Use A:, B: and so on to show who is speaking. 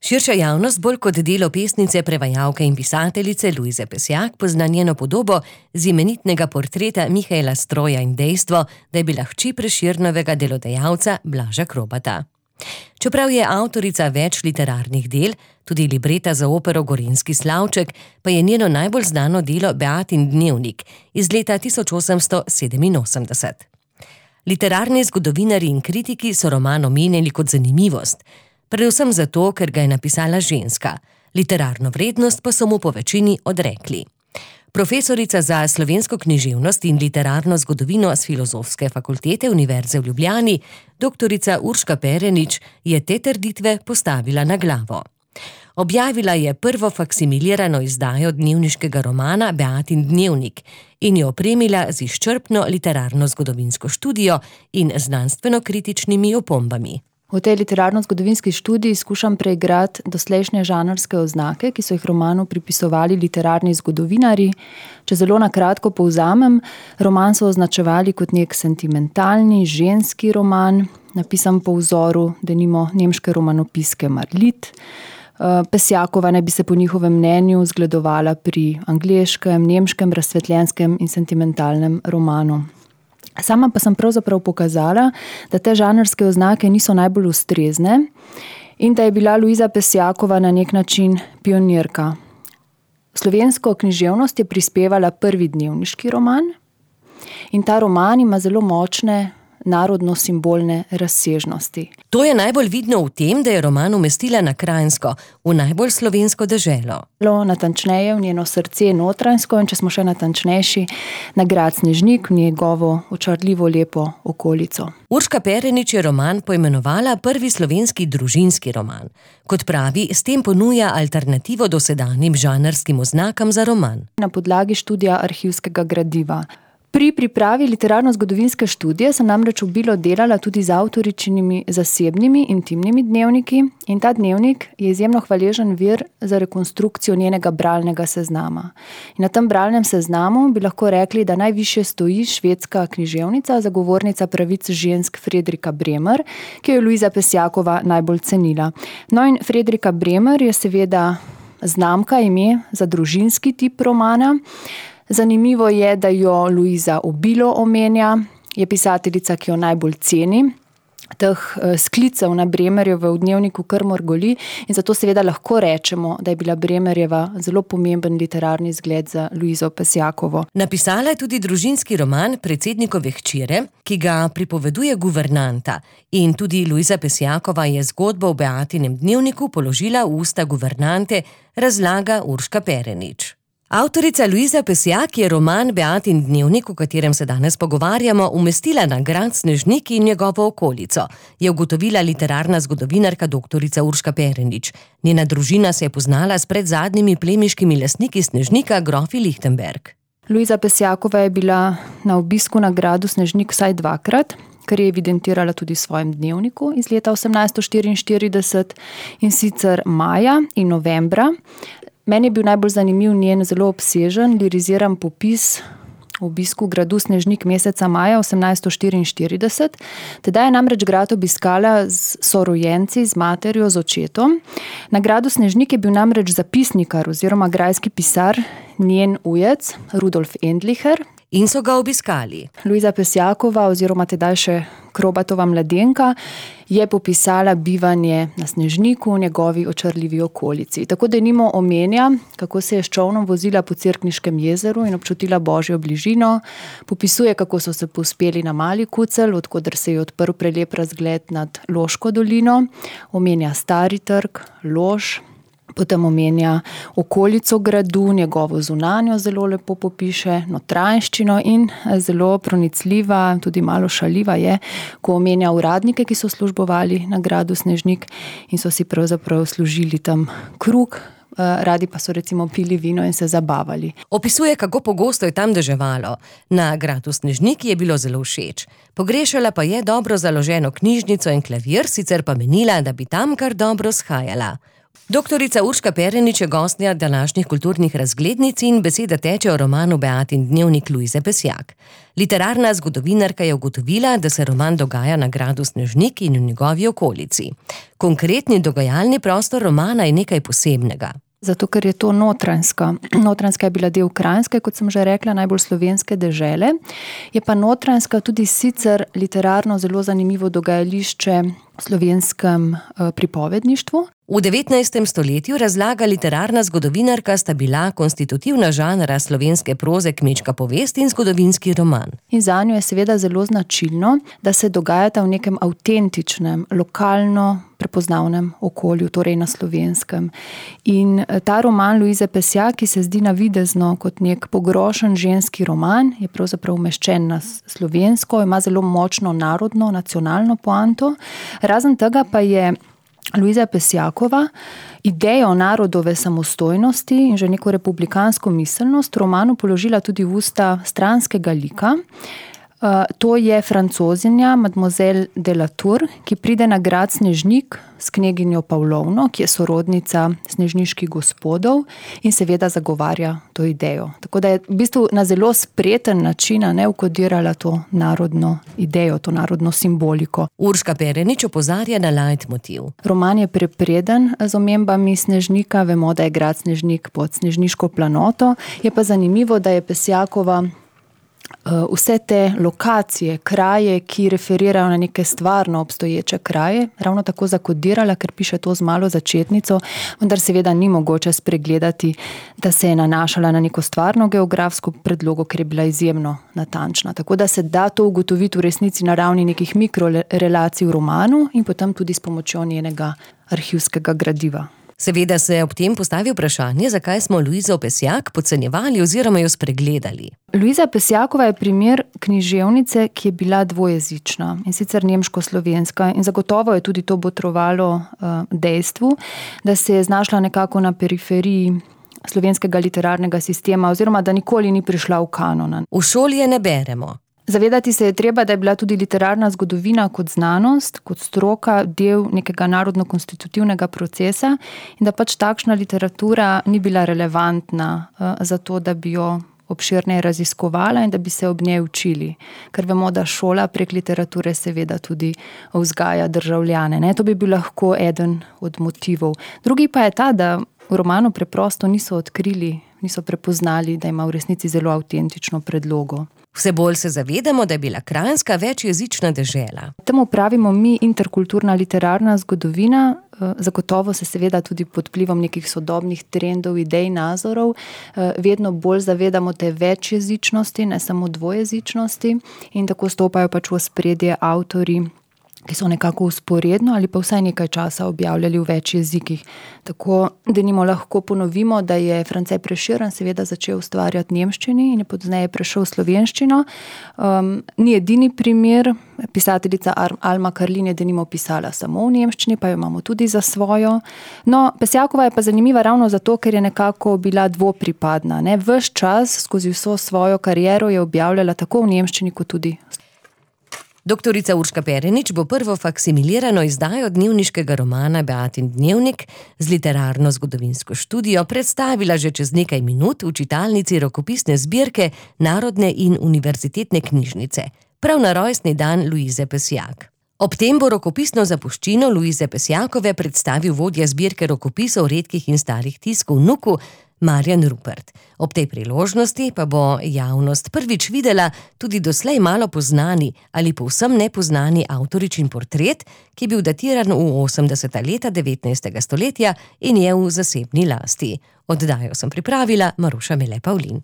A: Širša javnost bolj kot delo pesnice, prevajalke in pisateljice Lujze Pesjak pozna njeno podobo z imenitnega portreta Mihaela Stroja in dejstvo, da je bila hči Prešernovega delodajalca Blaža Krobata. Čeprav je avtorica več literarnih del, tudi libreta za opero Gorenjski slavček, pa je njeno najbolj znano delo Beatin dnevnik iz leta 1887. Literarni zgodovinarji in kritiki so roman omenjali kot zanimivost, predvsem zato, ker ga je napisala ženska, literarno vrednost pa so mu po večini odrekli. Profesorica za slovensko književnost in literarno zgodovino s Filozofske fakultete Univerze v Ljubljani, doktorica Urška Perenič, je te trditve postavila na glavo. Objavila je prvo faksimilirano izdajo dnevniškega romana Beatin dnevnik in jo opremila z izčrpno literarno-zgodovinsko študijo in znanstveno-kritičnimi opombami.
B: V tej literarno-zgodovinski študiji skušam preigrati doslejšnje žanrske oznake, ki so jih romanu pripisovali literarni zgodovinarji. Če zelo na kratko povzamem, roman so označevali kot nek sentimentalni, ženski roman, napisan po vzoru denimo nemške romanopiske Marlit. Pesjakova naj bi se po njihovem mnenju zgledovala pri angleškem, nemškem, razsvetljenskem in sentimentalnem romanu. Sama pa sem pravzaprav pokazala, da te žanrske oznake niso najbolj ustrezne in da je bila Lujza Pesjakova na nek način pionirka. V slovensko književnost je prispevala prvi dnevniški roman in ta roman ima zelo močne narodno-simbolne razsežnosti.
A: To je najbolj vidno v tem, da je roman umestila na Kranjsko, v najbolj slovensko deželo.
B: Natančneje v njeno srce Notranjsko in če smo še natančnejši, na grad Snežnik, v njegovo očarljivo lepo okolico.
A: Urška Perenič je roman poimenovala prvi slovenski družinski roman. Kot pravi, s tem ponuja alternativo dosedanjim žanrskim oznakam za roman.
B: Na podlagi študija arhivskega gradiva. Pri pripravi literarno-zgodovinske študije sem namreč obilo delala tudi z avtoričinimi zasebnimi, intimnimi dnevniki in ta dnevnik je izjemno hvaležen vir za rekonstrukcijo njenega bralnega seznama. In na tem bralnem seznamu bi lahko rekli, da najvišje stoji švedska književnica, zagovornica pravic žensk Fredrika Bremer, ki jo je Lujza Pesjakova najbolj cenila. No in Fredrika Bremer je seveda znamka, ime za družinski tip romana. Zanimivo je, da jo Lujza obilo omenja, je pisateljica, ki jo najbolj ceni. Teh sklicev na Bremerjevo v dnevniku kar mrgoli in zato seveda lahko rečemo, da je bila Bremerjeva zelo pomemben literarni zgled za Lujzo Pesjakovo.
A: Napisala je tudi družinski roman Predsednikove hčere, ki ga pripoveduje guvernanta in tudi Lujza Pesjakova je zgodbo v Beatinem dnevniku položila v usta guvernante, razlaga Urška Perenič. Avtorica Lujza Pesjak je roman Beatin dnevnik, o katerem se danes pogovarjamo, umestila na grad Snežnik in njegovo okolico, je ugotovila literarna zgodovinarka doktorica Urška Perenič. Njena družina se je poznala s predzadnjimi plemiškimi lastniki Snežnika, grofi Lichtenberg.
B: Lujza Pesjakova je bila na obisku na gradu Snežnik vsaj dvakrat, kar je evidentirala tudi v svojem dnevniku iz leta 1844 in sicer maja in novembra. Meni je bil najbolj zanimiv njen zelo obsežen, liriziran popis o obisku gradu Snežnik meseca maja 1844. Tedaj je namreč grad obiskala s sorojenci, z materjo, z očetom. Na gradu Snežnik je bil namreč zapisnikar oziroma grajski pisar, njen ujec, Rudolf Endlicher.
A: In so ga obiskali.
B: Lujza Pesjakova oziroma tedaj še Krobatova mladenka je popisala bivanje na Snežniku v njegovi očarljivi okolici. Tako denimo omenja, kako se je s čolnom vozila po Cerkniškem jezeru in občutila božjo bližino. Popisuje, kako so se povzpeli na Mali Kucelj, od koder se je odprl prelep razgled nad Loško dolino. Omenja Stari trg, Lož. Potem omenja okolico gradu, njegovo zunanjo zelo lepo popiše, notranjščino in zelo pronicljiva, tudi malo šaljiva je, ko omenja uradnike, ki so službovali na gradu Snežnik in so si pravzaprav služili tam kruh, radi pa so recimo pili vino in se zabavali.
A: Opisuje, kako pogosto je tam deževalo. Na gradu Snežnik je bilo zelo všeč. Pogrešala pa je dobro založeno knjižnico in klavir, sicer pa menila, da bi tam kar dobro shajala. Doktorica Urška Perenič je gostja današnjih kulturnih razglednic in beseda teče o romanu Beatin dnevnik Lujze Pesjak. Literarna zgodovinarka je ugotovila, da se roman dogaja na gradu Snežnik in v njegovi okolici. Konkretni dogajalni prostor romana je nekaj posebnega.
B: Zato, ker je to Notranjska. Notranjska je bila del Kranjske, kot sem že rekla, najbolj slovenske dežele. Je pa Notranjska tudi sicer literarno zelo zanimivo dogajališče v slovenskem pripovedništvu.
A: V 19. stoletju, razlaga literarna zgodovinarka, sta bila konstitutivna žanra slovenske proze kmečka povest in zgodovinski roman.
B: In zanjo je seveda zelo značilno, da se dogajata v nekem avtentičnem, lokalno prepoznavnem okolju, torej na slovenskem. In ta roman Lujze Pesjak, ki se zdi navidezno kot nek pogrošen ženski roman, je pravzaprav umeščen na slovensko, ima zelo močno narodno, nacionalno poanto. Razen tega pa je Lujza Pesjakova idejo narodove samostojnosti in že neko republikansko miselnost romanu položila tudi v usta stranskega lika. To je Francozinja Mademoiselle de la Tour, ki pride na grad Snežnik s kneginjo Pavlovno, ki je sorodnica snežniških gospodov in seveda zagovarja to idejo. Tako da je v bistvu na zelo spreten način vkodirala to narodno idejo, to narodno simboliko.
A: Urška Perenič opozarja na leitmotiv.
B: Roman je prepreden z omembami Snežnika, vemo, da je grad Snežnik pod snežniško planoto, je pa zanimivo, da je Pesjakova vse te lokacije, kraje, ki referirajo na neke stvarno obstoječe kraje, ravno tako zakodirala, ker piše to z malo začetnico, vendar seveda ni mogoče spregledati, da se je nanašala na neko stvarno geografsko predlogo, ker je bila izjemno natančna. Tako da se da to ugotoviti v resnici na ravni nekih mikrorelacij v romanu in potem tudi s pomočjo njenega arhivskega gradiva.
A: Seveda se ob tem postavi vprašanje, zakaj smo Lujzo Pesjak podcenjevali oziroma jo spregledali.
B: Lujza Pesjakova je primer književnice, ki je bila dvojezična, in sicer nemško-slovenska, in zagotovo je tudi to botrovalo dejstvu, da se je znašla nekako na periferiji slovenskega literarnega sistema oziroma da nikoli ni prišla v kanon.
A: V šoli je ne beremo.
B: Zavedati se je treba, da je bila tudi literarna zgodovina kot znanost, kot stroka, del nekega narodno-konstitutivnega procesa in da pač takšna literatura ni bila relevantna za to, da bi jo obširneje raziskovala in da bi se ob njej učili. Ker vemo, da šola prek literature seveda tudi vzgaja državljane. To bi bil lahko eden od motivov. Drugi pa je ta, da v romanu preprosto niso odkrili, niso prepoznali, da ima v resnici zelo avtentično predlogo.
A: Vse bolj se zavedamo, da je bila Kranjska večjezična dežela.
B: Temu pravimo mi interkulturna literarna zgodovina, zagotovo se seveda tudi pod vplivom nekih sodobnih trendov, idej, nazorov, vedno bolj zavedamo te večjezičnosti, ne samo dvojezičnosti, in tako stopajo pač v ospredje avtorji, ki so nekako vzporedno ali pa vsaj nekaj časa objavljali v več jezikih. Tako denimo lahko ponovimo, da je France Prešeren seveda začel ustvarjati v nemščini in je pozneje prešel v slovenščino. Ni edini primer, pisateljica Alma Karlin je denimo pisala samo v nemščini, pa jo imamo tudi za svojo. No, Pesjakova je pa zanimiva ravno zato, ker je nekako bila dvopripadna. Ves čas skozi vso svojo kariero je objavljala tako v nemščini kot tudi.
A: Doktorica Urška Perenič bo prvo faksimilirano izdajo dnevniškega romana Beatin dnevnik z literarno zgodovinsko študijo predstavila že čez nekaj minut v čitalnici rokopisne zbirke Narodne in univerzitetne knjižnice, prav na rojstni dan Lujze Pesjak. Ob tem bo rokopisno zapuščino Lujze Pesjakove predstavil vodja zbirke rokopisov redkih in starih tiskov Nuku, Marjan Rupert. Ob tej priložnosti pa bo javnost prvič videla tudi doslej malo poznani ali povsem nepoznani avtoričin portret, ki je bil datiran v 80. leta 19. stoletja in je v zasebni lasti. Oddajo sem pripravila Maruša Mele Pavlin.